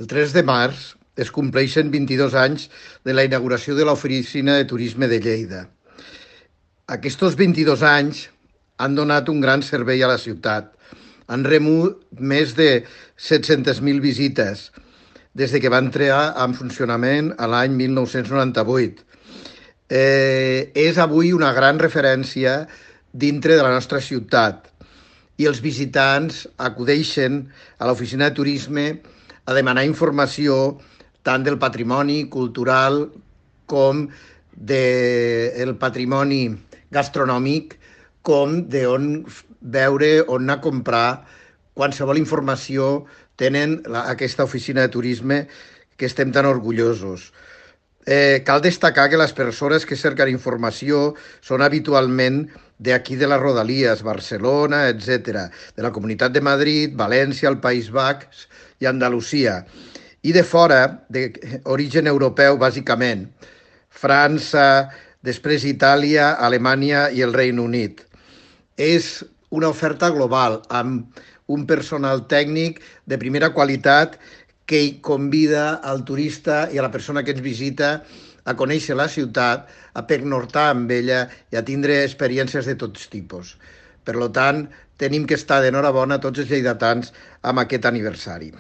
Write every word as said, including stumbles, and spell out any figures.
El tres de març es compleixen vint-i-dos anys de la inauguració de l'Oficina de Turisme de Lleida. Aquests vint-i-dos anys han donat un gran servei a la ciutat. Han rebut més de set-centes mil visites des de que va entrar en funcionament a l'any mil nou-cents noranta-vuit. Eh, és avui una gran referència dintre de la nostra ciutat i els visitants acudeixen a l'oficina de turisme a demanar informació tant del patrimoni cultural com del patrimoni gastronòmic, com d'on veure, on anar a comprar. Qualsevol informació tenen la, aquesta oficina de turisme que estem tan orgullosos. Eh, cal destacar que les persones que cerquen informació són habitualment d'aquí de les Rodalies, Barcelona, etcètera, de la Comunitat de Madrid, València, el País Basc i Andalusia, i de fora, d'origen europeu, bàsicament, França, després Itàlia, Alemanya i el Regne Unit. És una oferta global, amb un personal tècnic de primera qualitat que convida al turista i a la persona que ens visita a conèixer la ciutat, a pernoctar amb ella i a tindre experiències de tots tipus. Per tant, tenim que estar d'enhorabona tots els lleidatans amb aquest aniversari.